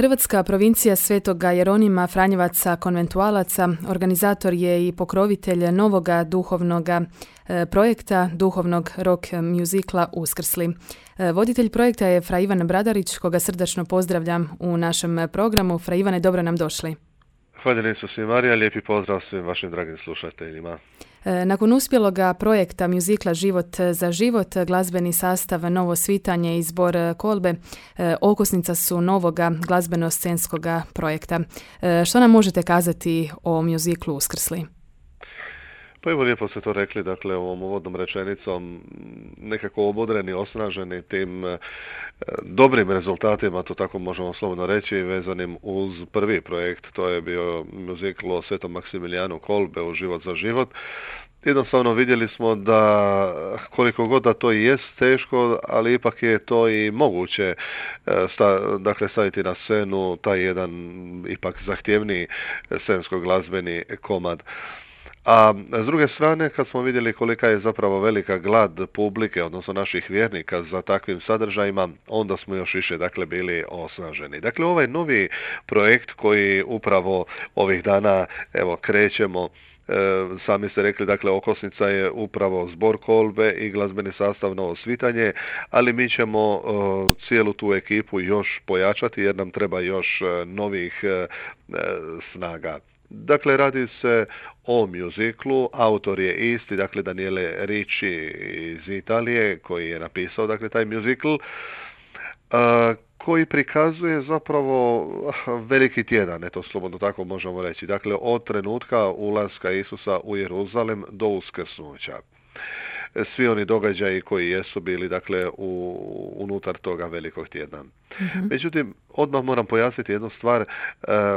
Hrvatska provincija Svetoga Jeronima Franjevaca konventualaca organizator je i pokrovitelj novoga duhovnoga projekta duhovnog rock muzikla Uskrsli. Voditelj projekta je fra Ivan Bradarić, koga srdačno pozdravljam u našem programu. Fra Ivane, dobro nam došli. Hvala Isus i Marija, lijepi pozdrav svim vašim dragim slušateljima. Nakon uspjeloga projekta muzikla Život za život, glazbeni sastav Novo svitanje i zbor Kolbe okosnica su novoga glazbeno-scenskoga projekta. Što nam možete kazati o muziklu Uskrsli? Pa evo, lijepo ste to rekli, dakle, ovom uvodnom rečenicom, nekako obodreni, osnaženi tim dobrim rezultatima, to tako možemo slobodno reći, vezanim uz prvi projekt, to je bio muzikl o Svetom Maksimilijanu Kolbe u Život za život. Jednostavno vidjeli smo da koliko god da to i jest teško, ali ipak je to i moguće staviti na scenu taj jedan ipak zahtjevniji scensko-glazbeni komad. A s druge strane, kad smo vidjeli kolika je zapravo velika glad publike, odnosno naših vjernika za takvim sadržajima, onda smo još više bili osnaženi. Dakle, ovaj novi projekt koji upravo ovih dana krećemo, sami ste rekli, dakle, okosnica je upravo zbor Kolbe i glazbeni sastav Novo svitanje, ali mi ćemo cijelu tu ekipu još pojačati jer nam treba još novih snaga. Dakle, radi se o muziklu, autor je isti, dakle, Daniele Ricci iz Italije, koji je napisao, dakle, taj muzikl, koji prikazuje zapravo veliki tjedan, eto slobodno tako možemo reći, dakle, od trenutka ulaska Isusa u Jeruzalem do uskrsnuća. Svi oni događaji koji jesu bili, dakle, unutar toga velikog tjedna. Mm-hmm. Međutim, odmah moram pojasniti jednu stvar.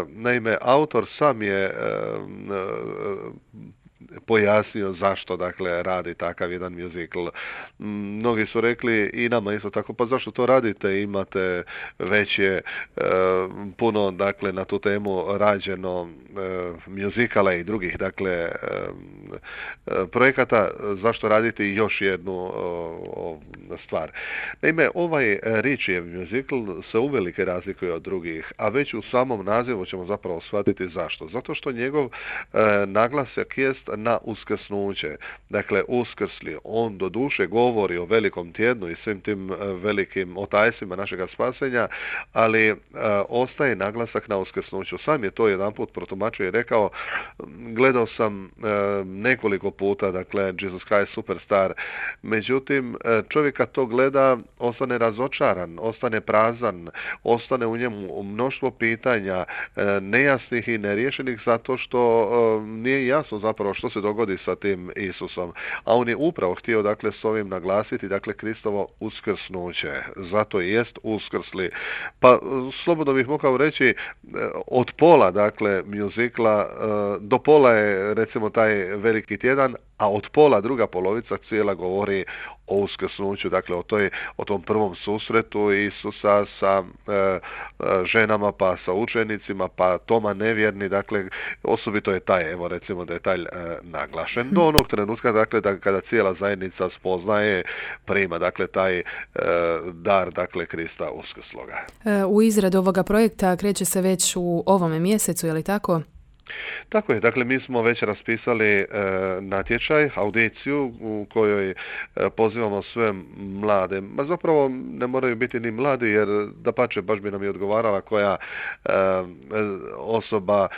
Naime, autor sam je pojasnio zašto, dakle, radi takav jedan muzikl. Mnogi su rekli i nama isto tako, pa zašto to radite, imate već je puno, dakle, na tu temu rađeno muzikala i drugih, dakle, projekata, zašto raditi još jednu stvar. Naime, ovaj Riccijev muzikl se uvelike razlikuje od drugih, a već u samom nazivu ćemo zapravo shvatiti zašto. Zato što njegov naglasak jest na uskrsnuće. Dakle, uskrsli. On do duše govori o velikom tjednu i svim tim velikim otajsima našega spasenja, ali ostaje naglasak na uskrsnuću. Sam je to jedanput protumačio i rekao, gledao sam nekoliko puta, dakle, Jesus Christ Superstar, međutim, čovjek kad to gleda, ostane razočaran, ostane prazan, ostane u njemu mnoštvo pitanja, nejasnih i neriješenih, zato što nije jasno zapravo što se dogodi sa tim Isusom. A on je upravo htio, dakle, s ovim naglasiti, dakle, Kristovo uskrsnuće. Zato i jest uskrsli. Pa, slobodno bih mogao reći, od pola, dakle, muzikla do pola je, recimo, taj veliki tjedan, a od pola, druga polovica cijela govori o uskrsnuću, dakle, o tom prvom susretu Isusa sa ženama, pa sa učenicima, pa Toma nevjerni, dakle, osobito je taj, evo, recimo, detalj naglašen do onog trenutka, dakle, kada cijela zajednica spoznaje, prima, dakle, taj dar, dakle, Krista uskrsloga. U izradu ovoga projekta kreće se već u ovome mjesecu, je li tako? Tako je, dakle, mi smo već raspisali natječaj, audiciju u kojoj pozivamo sve mlade, ma zapravo ne moraju biti ni mladi, jer dapače, baš bi nam i odgovarala koja osoba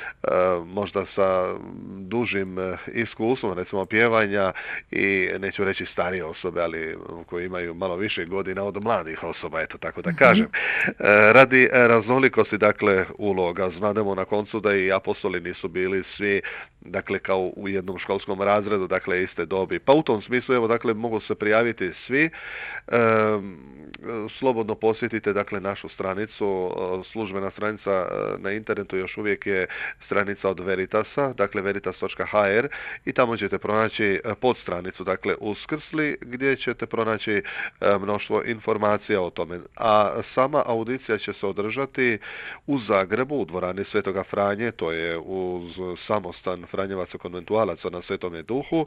možda sa dužim iskustvom, recimo pjevanja, i neću reći starije osobe, ali koji imaju malo više godina od mladih osoba, eto tako da kažem. Radi raznolikosti, dakle, uloga, znademo na koncu da i apostoli nisu bili svi, dakle, kao u jednom školskom razredu, dakle, iste dobi. Pa u tom smislu, evo, dakle, mogu se prijaviti svi. Slobodno posjetite, dakle, našu stranicu, službena stranica na internetu još uvijek je stranica od Veritasa, dakle, veritas.hr, i tamo ćete pronaći podstranicu, dakle, Uskrsli, gdje ćete pronaći mnoštvo informacija o tome. A sama audicija će se održati u Zagrebu, u dvorani Svetoga Franje, to je uz samostan Franjevaca konventualaca na Svetome Duhu.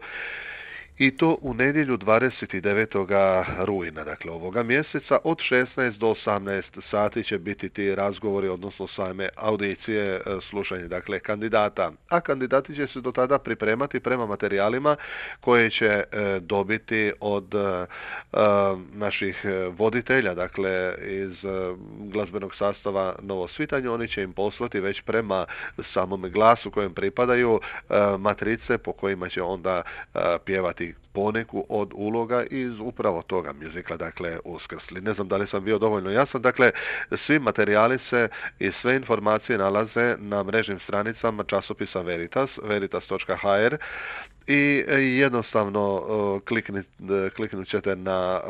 I to u nedjelju 29. rujna, dakle ovoga mjeseca, od 16 do 18 sati će biti ti razgovori, odnosno same audicije, slušanje dakle kandidata. A kandidati će se do tada pripremati prema materijalima koje će dobiti od naših voditelja, dakle iz glazbenog sastava Novo svitanje. Oni će im poslati već prema samom glasu kojem pripadaju matrice po kojima će onda pjevati poneku od uloga iz upravo toga mjuzikla, dakle Uskrsli. Ne znam da li sam bio dovoljno jasan, dakle svi materijali se i sve informacije nalaze na mrežnim stranicama časopisa Veritas, veritas.hr, i jednostavno kliknut ćete na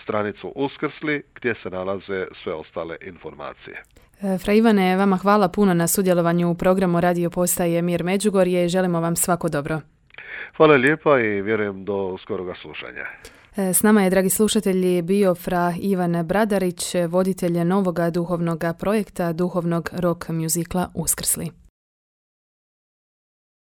stranicu Uskrsli gdje se nalaze sve ostale informacije. Fra Ivane, vama hvala puno na sudjelovanju u programu radio postaje Mir Međugorje i želimo vam svako dobro. Hvala lijepa i vjerujem do skoroga slušanja. S nama je, dragi slušatelji, bio fra Ivan Bradarić, voditelj novoga duhovnog projekta duhovnog rock mjuzikla Uskrsli.